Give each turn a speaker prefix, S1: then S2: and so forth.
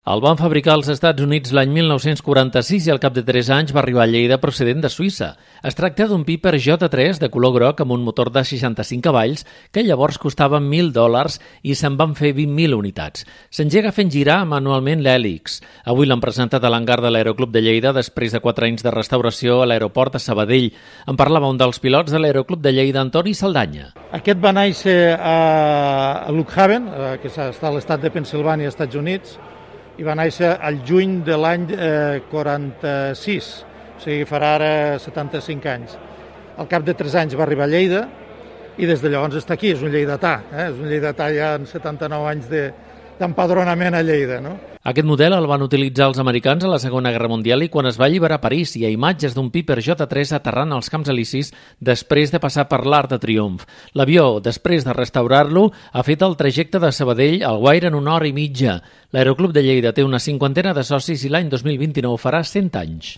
S1: El van fabricar als Estats Units l'any 1946 i al cap de 3 anys va arribar a Lleida procedent de Suïssa. Es tracta d'un Piper J3 de color groc amb un motor de 65 cavalls que llavors costava $1.000 i se'n van fer 20.000 unitats. S'engega fent girar manualment l'hèlix. Avui l'han presentat a l'hangar de l'Aeroclub de Lleida després de 4 anys de restauració a l'aeroport de Sabadell. En parlava un dels pilots de l'Aeroclub de Lleida, Antoni Saldanya.
S2: Aquest va néixer a Lockhaven, que està a l'estat de Pennsilvània, Estats Units, i va néixer al juny de l'any 46, o sigui, farà ara 75 anys. Al cap de 3 anys va arribar a Lleida i des de llavors està aquí, és un lleidatà, és un lleidatà ja amb 79 anys d'empadronament a Lleida, no?
S1: Aquest model el van utilitzar els americans a la Segona Guerra Mundial i quan es va alliberar a París hi ha imatges d'un Piper J3 aterrant als Camps Elisis després de passar per l'Arc de Triomf. L'avió, després de restaurar-lo, ha fet el trajecte de Sabadell al Guaire en 1 hora i mitja. L'Aeroclub de Lleida té una 50ena de socis i l'any 2029 farà 100 anys.